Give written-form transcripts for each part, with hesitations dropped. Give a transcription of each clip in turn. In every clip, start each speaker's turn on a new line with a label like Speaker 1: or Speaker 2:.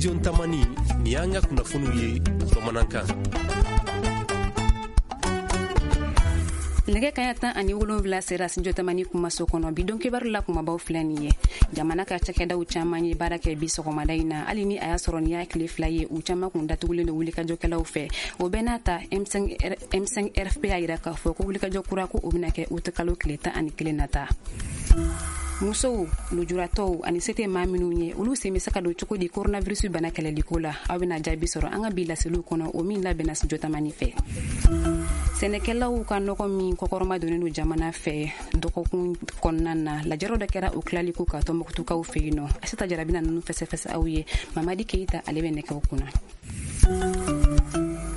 Speaker 1: Studio Tamani, nin y'an ka kunnafoniw ye bamanankan.
Speaker 2: Nɛgɛ kaɲa 17 sera Studio Tamani kumaso kɔnɔ. Bi don kibaru la kumabaw filɛ nin ye. Jamana ka cakɛdaw caman ye baara kɛ bi sɔgɔmada in na, hali ni a y'a sɔrɔ nin y'a tile 2 ye, u caman kun datugulen don wulikajɔkɛlaw fɛ. O bɛɛ n'a ta, M5 RFP y'a yira k'a fɔ ko wulikajɔ kura ko o bɛna kɛ uti kalo tile 11 nata. Musow, lujuratɔw ani se tɛ maa minnu ye, olu sen bɛ se ka don cogo di coronavirus bana kɛlɛliko la? Aw bɛna jaabi sɔrɔ an ka bi laseliw kɔnɔ, o min labɛnna Studio Tamani fɛ. Sɛnɛkɛlaw ka nɔgɔ min kɔkɔrɔma donnen don jamana fɛ dɔgɔkun kɔnɔna na, lajɛrɛ dɔ kɛra o tilaliko ka Tɔnbukutukaw fɛ yen nɔ. Asita Jara bɛna ninnu fɛsɛfɛsɛ aw ye. Mamadi Keyita, ale bɛ nɛgɛw kunna.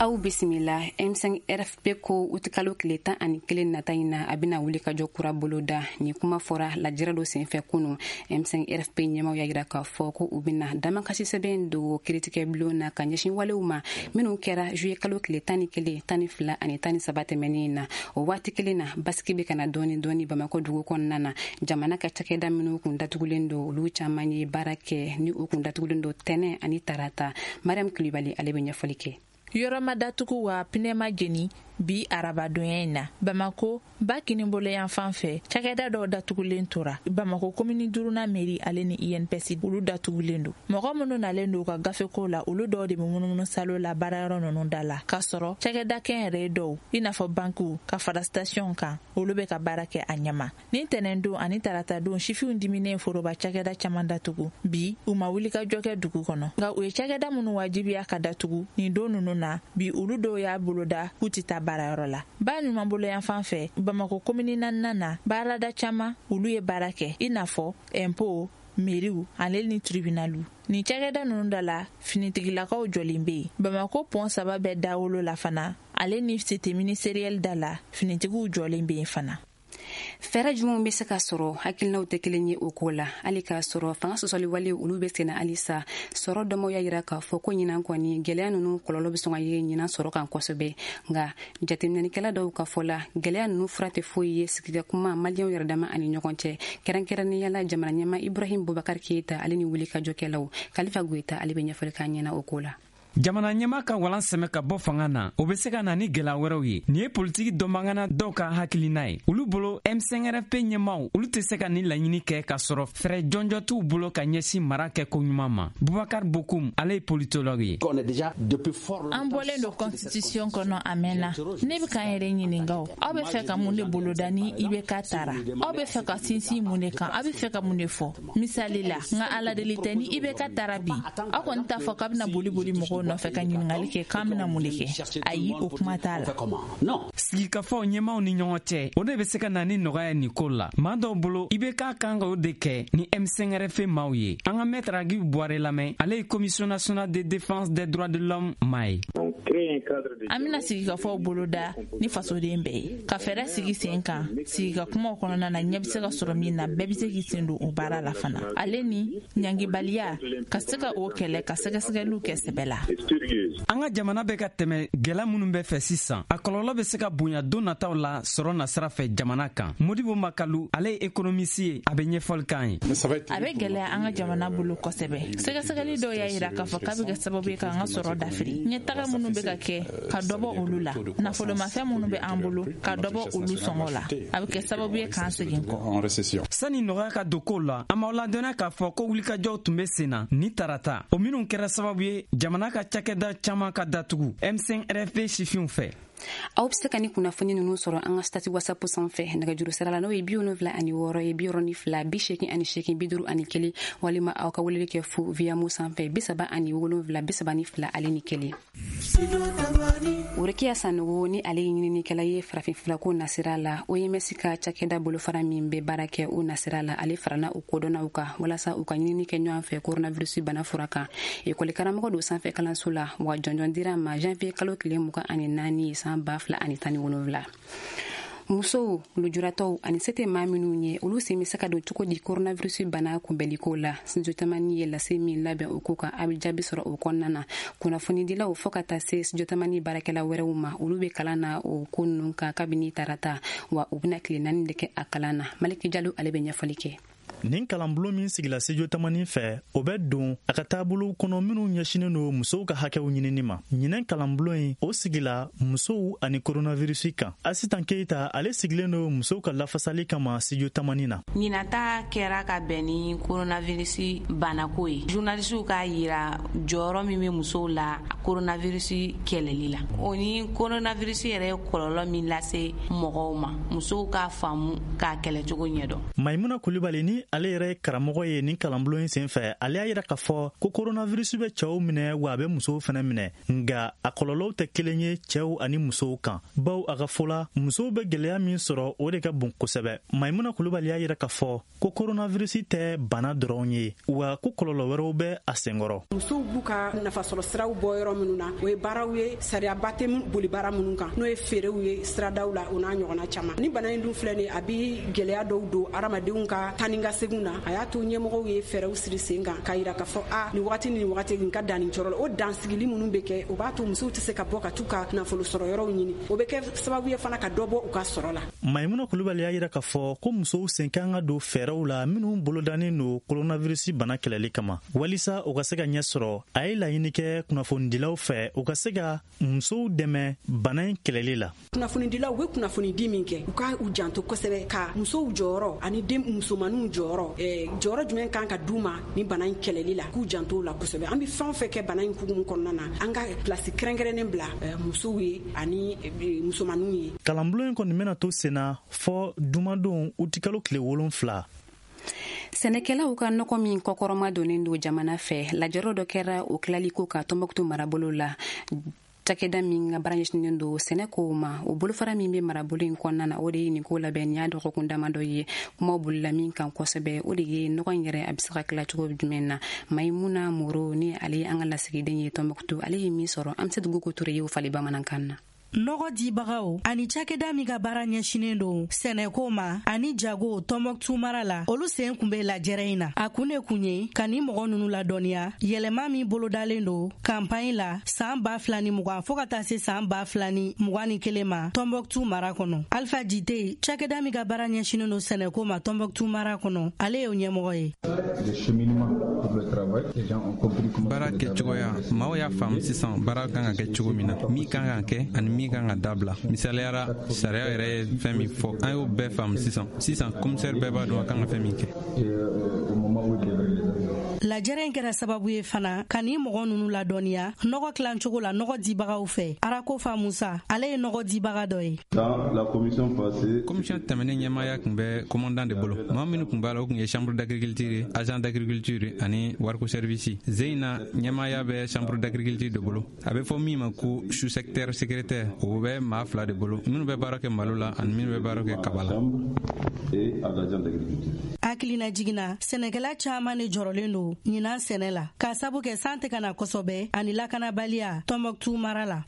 Speaker 2: Aw bisimila. M5 RFP ko utikalo tile 11 nata in na, a bɛna wuli ka jɔ kura boloda. Nin kuma fɔra lajɛrɛ dɔ senfɛ kunu. M5 RFP ɲɛmaw y'a yira k'a fɔ ko u bɛna damakasi sɛbɛn don kiritigɛ bulon na ka ɲɛsin walew ma minnu kɛra juillet kalo tile 11, 12 ani 13 tɛmɛnen na. O waati kelen na, basigi bɛ ka na dɔɔni dɔɔni Bamakɔ dugu kɔnɔna na. Jamana ka cakɛda minnu kun datugulen don, olu caman ye baara kɛ ni u kun datugulen don tɛnɛ ani tarata. Mariam Kulibali, ale bɛ ɲɛfɔli kɛ.
Speaker 3: Yɔrɔ ma datugu wa pinɛ ma jeni bi arabadonya in na. Bamako ba kinibolo yan fan fɛ, cakɛda dɔw datugulen tora. Bamako komini duruna mairie ale ni INPS, olu datugulen don. Mɔgɔ minnu nalen don u ka gafeko la, olu dɔw de bɛ munumunu salo la baarayɔrɔ ninnu da la, k'a sɔrɔ cakɛda kɛnyɛrɛye dɔw, i n'a fɔ bankiw ka fara station kan, olu bɛ ka baara kɛ a ɲɛma. Ni tɛnɛndon ani taratadon, sifinw diminen foroba cakɛda caman datugu. Bi u ma wuli ka jɔ kɛ dugu kɔnɔ, nka u ye cakɛda minnu wajibiya ka datugu nin don ninnu na, bi olu dɔw y'a boloda k'u tɛ taa baarayɔrɔ la. Ba ɲumanbolo yan fan fɛ, Bamako komini naaninan na, baarada caman, olu ye baara kɛ, i n'a fɔ ɛnpo, meriw ale ni tribunaliw. Nin cakɛda ninnu da la, finitigilakaw jɔlen bɛ yen. Bamako pɔn 3 bɛɛ dawolo la fana, ale ni cité ministériel da la, finitigiw jɔlen bɛ yen fana.
Speaker 2: Fɛɛrɛ jumɛnw bɛ se ka sɔrɔ? Hakilinaw tɛ kelen ye o ko la. Hali k'a sɔrɔ fanga sɔsɔli wale olu bɛ senna halisa, sɔrɔ dɔnbaaw y'a yira k'a fɔ ko ɲinan kɔni, gɛlɛya ninnu kɔlɔlɔ bɛ sɔn ka ye ɲinan sɔrɔ kan kosɛbɛ. Nka jateminɛlikɛla dɔw ka fɔ la, gɛlɛya ninnu fura tɛ foyi ye sigida kuma maliyɛnw yɛrɛ dama ani ɲɔgɔn cɛ, kɛrɛnkɛrɛnnenya la jamana ɲɛmaa Ibrahim Boubacar Keita ale ni wulikajɔkɛlaw. Kalifa Goyita, ale bɛ ɲɛfɔli k'an ɲɛna o ko la.
Speaker 4: Jamana ɲɛmaa ka walan sɛmɛ ka bɔ fanga na, o bɛ se ka na ni gɛlɛya wɛrɛw ye. Nin ye politiki dɔnbagana dɔw ka hakilina ye. Olu bolo, M5RFP ɲɛmaaw, olu tɛ se ka nin laɲini kɛ k'a sɔrɔ fɛɛrɛ jɔnjɔn t'u bolo ka ɲɛsin mara kɛ ko ɲuman ma. Bubakar Bokum, ale ye politologue ye.
Speaker 3: An bɔlen don constitution kɔnɔ a mɛnna. Ne bɛ k'an yɛrɛ ɲininka o, aw bɛ fɛ ka mun de boloda ni IBK taara? Aw bɛ fɛ ka sinsin mun de kan? Aw bɛ fɛ ka mun de fɔ? Misali la, nka ala deli tɛ, ni IBK taara bi, aw kɔni t'a fɔ k'a bɛna boli boli mɔgɔw nɔfɛ ka ɲininkali kɛ k'an bɛna mun de kɛ. Ayi, o kuma t'a la.
Speaker 4: Sigikafɔ ɲɛmaaw ni ɲɔgɔn cɛ, o de bɛ se ka na ni nɔgɔya nin ko la. Maa dɔw bolo, IBK kan ka o de kɛ ni M5RFP maaw ye. An ka maître Agibu Buware lamɛn, ale ye Commission nationale de défense des droits de l'homme maa ye.
Speaker 3: An bɛna sigikafɔw boloda ni fasoden bɛɛ ye, ka fɛɛrɛ sigi sen kan sigika kumaw kɔnɔna na, ɲɛ bɛ se ka sɔrɔ min na, bɛɛ bɛ se k'i sen don o baara la fana, ale ni ɲangibaliya ka se ka o kɛlɛ, ka sɛgɛsɛgɛliw kɛ sɛbɛ la.
Speaker 4: An ka jamana bɛ ka tɛmɛ gɛlɛya minnu bɛ fɛ sisan, a kɔlɔlɔ bɛ se ka bonya don nataw la sɔrɔ nasira fɛ jamana kan. Modibo Makalu, ale ye économiste ye, a bɛ ɲɛfɔli k'an ye.
Speaker 3: A bɛ gɛlɛya an ka jamana bolo kosɛbɛ. Sɛgɛsɛgɛli dɔw y'a yira k'a fɔ k'a bɛ kɛ sababu ye k'an ka sɔrɔ dafiri. Ɲɛtaga minnu bɛ ka kɛ, ka dɔ bɔ olu la, nafolomafɛn minnu bɛ an bolo, ka dɔ bɔ olu sɔngɔ la, a bɛ kɛ sababu ye k'an segin kɔ.
Speaker 4: Sani nɔgɔya ka don kow la, an b'aw ladɔnniya k'a fɔ ko wulikajɔw tun bɛ sen na ni tarata, o minnu kɛra sababu ye jamana ka cakɛda caman ka datugu M5 RFP sifinw fɛ.
Speaker 2: Aw bɛ se ka ni kunnafoni ninnu sɔrɔ an ka statut WhatsApp sanfɛ nɛgɛjuru sira la, n'o ye 76 ye, 62 88 51, walima aw ka weleli kɛ fu via Moov sanfɛ, 37 32 ale ni 1. Worokiya Sanogo, ni ale ye ɲininikɛla ye farafinfurako nasira la, OMS ka cakɛda bolofara min bɛ baara kɛ o nasira la, ale farala o kodɔnnaw kan walasa u ka ɲinini kɛ ɲɔgɔn fɛ coronavirus bana fura kan. Ekɔli karamɔgɔ don sanfɛ kalanso la, wa jɔnjɔn dira ma janvier kalo tile 24 san 2017. Musow, lujuratɔw ani se tɛ maa minnu ye, olu sen bɛ se ka don cogo di coronavirus bana kunbɛnliko la? Studio Tamani ye lase min labɛn o ko kan, a bɛ jaabi sɔrɔ o kɔnɔna na. Kunnafonidilaw fo ka taa se Studio Tamani baarakɛla wɛrɛw ma, olu bɛ kalan na o ko ninnu kan kabini tarata, wa u bɛna tile 4 de kɛ a kalan na. Maliki Jalo, ale bɛ ɲɛfɔli kɛ.
Speaker 5: Nin kalanbulon min sigila Studio Tamani fɛ, o bɛ don a ka taabolow kɔnɔ minnu ɲɛsinnen don musow ka hakɛw ɲinini ma. Ɲinɛn kalanbulon in, o sigila musow ani koronavirisi kan. Asitan Keita, ale sigilen don musow ka lafasali kama Studio Tamani na.
Speaker 6: Ɲinata kɛra ka bɛn ni koronavirisi banako ye. Journalisiw k'a yira jɔyɔrɔ min bɛ musow la koronavirisi kɛlɛli la, o ni koronavirisi yɛrɛ ye kɔlɔlɔ min lase mɔgɔw ma, musow k'a faamu k'a kɛlɛcogo ɲɛdɔn.
Speaker 5: Maimuna Kulibali, ni ale yɛrɛ ye karamɔgɔ ye nin kalanbulon in senfɛ, ale y'a yira k'a fɔ ko koronavirisi bɛ cɛw minɛ, wa a bɛ musow fɛnɛ minɛ, nka a kɔlɔlɔw tɛ kelen ye cɛw ani musow kan, baw a ka fɔ la, musow bɛ gwɛlɛya min sɔrɔ, o de ka bon kosɛbɛ. Maimuna Kulubali y'a yira k'a fɔ ko koronavirisi tɛ bana dɔrɔn ye, wa ko kɔlɔlɔ wɛrɛw bɛ a senkɔrɔ.
Speaker 7: Musow b'u ka nafasɔrɔ siraw bɔ yɔrɔ minnu na, o ye baaraw ye sariyaba tɛ boli baara minnu kan, n'o ye feerew ye siradaw la, o n'a ɲɔgɔnna caman. Ni bana in dun filɛ nin, a bi gwɛlɛya dɔw don hadamadenw ka taa ni ka seginw na. A y'a to ɲɛmɔgɔw ye fɛɛrɛw siri sen kan k'a yira k'a fɔ a nin wagati ni nin wagati nin ka dan nin cɔrɔ la. O dansigili minnu bɛ kɛ, o b'a to musow tɛ se ka bɔ ka t'u ka nafolo sɔrɔ yɔrɔw ɲini. O bɛ kɛ sababu ye fana ka dɔ bɔ u ka sɔrɔ la.
Speaker 5: Maimuna Kulubali y'a yira k'a fɔ ko musow sen kan ka don fɛɛrɛw la minnu bolodannen don koronavirisi bana kɛlɛli kama, walisa u ka se ka ɲɛ sɔrɔ. A ye laɲini kɛ kunnafonidilaw fɛ, u ka se ka musow dɛmɛ bana in kɛlɛli la.
Speaker 7: Kunnafonidilaw bɛ kunnafonidi min kɛ, u ka u janto kosɛbɛ ka musow jɔyɔrɔ ani den musomaninw jɔyɔrɔ, jɔyɔrɔ jumɛn kan ka d'u ma ni bana in kɛlɛli la, k'u janto la kosɛbɛ. An bɛ fɛn o fɛn kɛ bana in hukumu kɔnɔna na, an ka pilasi kɛrɛnkɛrɛnnen bila musow ye ani musomaninw ye.
Speaker 5: Kalanbulon in kɔni bɛna to senna fɔ jumadon utikalo tile 7.
Speaker 2: Sɛnɛkɛlaw ka nɔgɔ min kɔkɔrɔma donnen don jamana fɛ, lajɛrɔ dɔ kɛra o tilaliko ka Tɔnbɔkutu marabolo la. Cakɛda min ka baara ɲɛsinnen don sɛnɛkow ma, o bolofara min bɛ marabolo in kɔnɔna na, o de ye nin ko labɛn. Nin y'a dɔgɔkun damadɔ ye. Kumaw bolila min kan kosɛbɛ, o de ye nɔgɔ in yɛrɛ, a bɛ se ka tila cogo jumɛn na. Mayimuna Moro, ni ale ye an ka lasigiden ye Tɔnbɔkutu, ale ye min sɔrɔ, an bɛ se dugu ko Ture ye o fali bamanankan na.
Speaker 8: Nɔgɔ dibagaw ani cakɛda min ka baara ɲɛsinen don sɛnɛko ma ani jago Tɔnbɔkutu mara la, olu sen kun bɛ lajɛrɛ in na. A kun de kun ye ka ni mɔgɔ nunu ladɔnniya yɛlɛma min bolodalen don kanpaɲi la san 2020 fɔɔ ka taa se san 2021 ma Tɔnbɔkutu mara kɔnɔ. Alpha Jite, cakɛda min ka baara ɲɛsinen don sɛnɛko ma Tɔnbɔkutu mara kɔnɔ, ale y'o ɲɛmɔgɔ ye.
Speaker 9: Baara kɛcogoya, maaw y'a faamu sisan baara kan ka kɛ cogo min na, min kan ka kɛ ani min kan ka dabila. Misaliyara, sariya yɛrɛ ye fɛn min fɔ, an y'o bɛɛ faamu sisan. Sisan komisɛri bɛɛ b'a dɔn a kan ka fɛn min kɛ.
Speaker 8: Lajɛrɛ in kɛra sababu ye fana ka nin mɔgɔ nunu ladɔnniya nɔgɔ tilancogo la nɔgɔ dibagaw fɛ. Arakofa Musa, ale ye nɔgɔ dibaga dɔ ye.
Speaker 9: Komisiyɔn tɛmɛnen, ɲɛmaaya tun bɛ commandant de bolo. Maa minnu tun b'a la, o tun ye chambre d'agriculture, agent d'agriculture ani wariko service. Zen na, ɲɛmaaya bɛ chambre d'agriculture de bolo. A bɛ fɔ min ma ko sous secteur secrétaire, o bɛ maa fila de bolo, minnu bɛ baara kɛ malo la ani minnu bɛ baara kɛ kaba la.
Speaker 8: Hakilina jiginna, sɛnɛkɛla caaman de jɔrɔlen don ɲinan sɛnɛ la, k'a sabu kɛ san tɛ ka na kosɛbɛ ani lakanabaliya Tɔnbɔkutu mara la.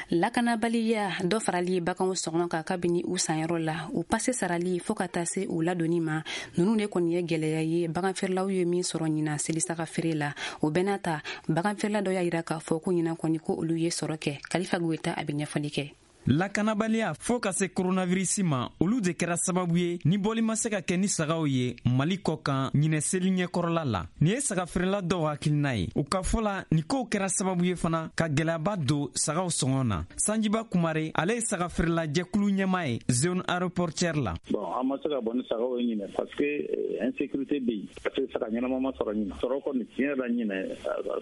Speaker 2: Lakanabaliya, dɔ farali baganw sɔngɔ kan kabini u sanyɔrɔ la, u pase sarali fɔɔ ka taa se u ladonni ma, nunu de kɔni ye gwɛlɛya ye baganfeerelaw ye min sɔrɔ ɲinan selisaga feere la. O bɛɛ n'a ta, baganfeerela dɔ y'a yira k'a fɔ ko ɲinan kɔni, ko olu ye sɔrɔ kɛ. Kalifa Goyita, a bɛ ɲɛfɔli kɛ.
Speaker 4: Lakanabaliya fɔɔ ka se koronavirisi ma, olu de kɛra sababu ye ni bɔli ma se ka kɛ ni sagaw ye Mali kɔ kan ɲinɛ seli ɲɛkɔrɔla la. Nin ye sagafeerela dɔw hakilina ye. U ka fɔ la, nin kow kɛra sababu ye fana ka gwɛlɛyaba don sagaw sɔngɔ na. Sanjiba Kumare, ale ye sagafeerela jɛkulu ɲɛma ye zone aéroportière la.
Speaker 10: Bon, an ma se ka bɔ ni sagaw ye ɲinɛ parce que insécurité bɛ yen, parce que saga ɲɛnama ma sɔrɔ ɲinɛ. Sɔrɔ kɔni, tiɲɛ la, ɲinɛ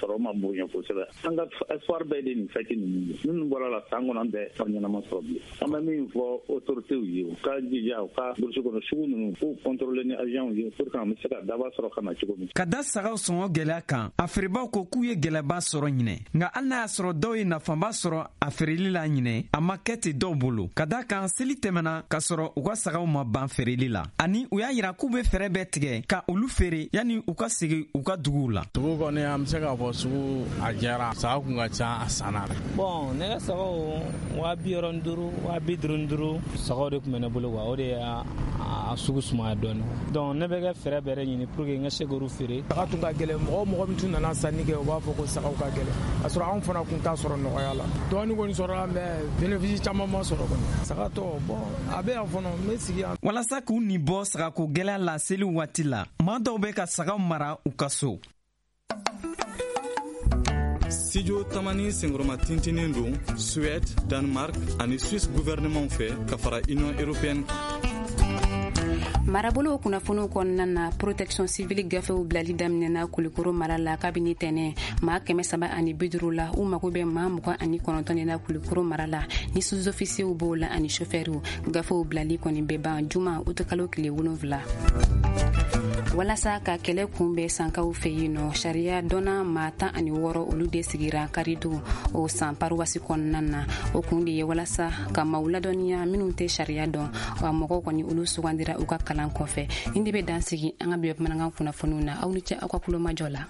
Speaker 10: sɔrɔ ma bonya kosɛbɛ. An ka espoir bɛɛ de nin fête ninnu ye. Minnu bɔra la san kɔnɔ, an bɛɛ sɔrɔ ɲɛnama sɔrɔ bilen. An bɛ min fɔ autorités ye, u ka jija u ka brousse kɔnɔ sugu ninnu k'u contrôler ni agents ye pour que an bɛ se ka daba sɔrɔ ka na cogo min.
Speaker 4: Ka da sagaw sɔngɔ gwɛlɛya kan, a feerebaw ko k'u ye gwɛlɛba sɔrɔ ɲinɛ. Nka hali n'a y'a sɔrɔ dɔw ye nafaba sɔrɔ a feereli la ɲinɛ, a ma kɛ ten dɔw bolo, ka da kan seli tɛmɛna k'a sɔrɔ u ka sagaw ma ban feereli la, ani u y'a yira k'u be fɛɛrɛ bɛɛ tigɛ ka olu feere yanni u ka segi u ka duguw la.
Speaker 11: Sugu kɔni, an bɛ se k'a fɔ sugu a jɛra. Saga kun ka ca, a sanna.
Speaker 12: Bon, ne ka sagaw 60 000.
Speaker 11: 65, 55 sagaw de tun bɛ ne bolo quoi. O de y'a sugu sumaya dɔɔni. Donc ne bɛ kɛ fɛɛrɛ bɛrɛ ɲini pour que n ka se k'olu feere.
Speaker 12: Saga tun ka gɛlɛn, mɔgɔ mɔgɔ min tun nana sanni kɛ, u b'a fɔ ko sagaw ka gɛlɛn, k'a sɔrɔ anw fana kun t'a sɔrɔ nɔgɔya la. Dɔɔni kɔni sɔrɔla, mais bénéfice caman ma sɔrɔ kɔni. Saga tɔ, bon, a bɛ yan fɔlɔ, n bɛ sigi yan.
Speaker 4: Walasa k'u nin bɔ sagako gwɛlɛya la seli waati la, maa dɔw bɛ ka sagaw mara u ka so.
Speaker 13: Studio Tamani senkɔrɔma tintinen don Suède, Danemark ani Suisse gouvernement fɛ ka fara Union européenne kan.
Speaker 2: Marabolow kunnafoniw kɔnɔna na, protection civile gafew bilali daminɛna Kulikoro mara la kabini tɛnɛ. Maa 350 la, u mago bɛ maa 29 de la Kulikoro mara la, ni sous-officiers b'o la ani chauffeurw. Gafew bilali kɔni bɛ ban juma utukalo tile 7. Walasa ka kɛlɛ kunbɛn sankaw fɛ yen nɔ, sariya dɔnna maa 16, olu de sigira karidon o san paruwasi kɔnɔna na. O kun de ye walasa ka maaw ladɔnniya minnu tɛ sariya dɔn. Wa mɔgɔw kɔni, olu sugandira u ka kalan kɔfɛ. Nin de bɛ dan sigi an ka bi bamanankan kunnafoniw na. Aw ni ce aw ka kulomajɔ la.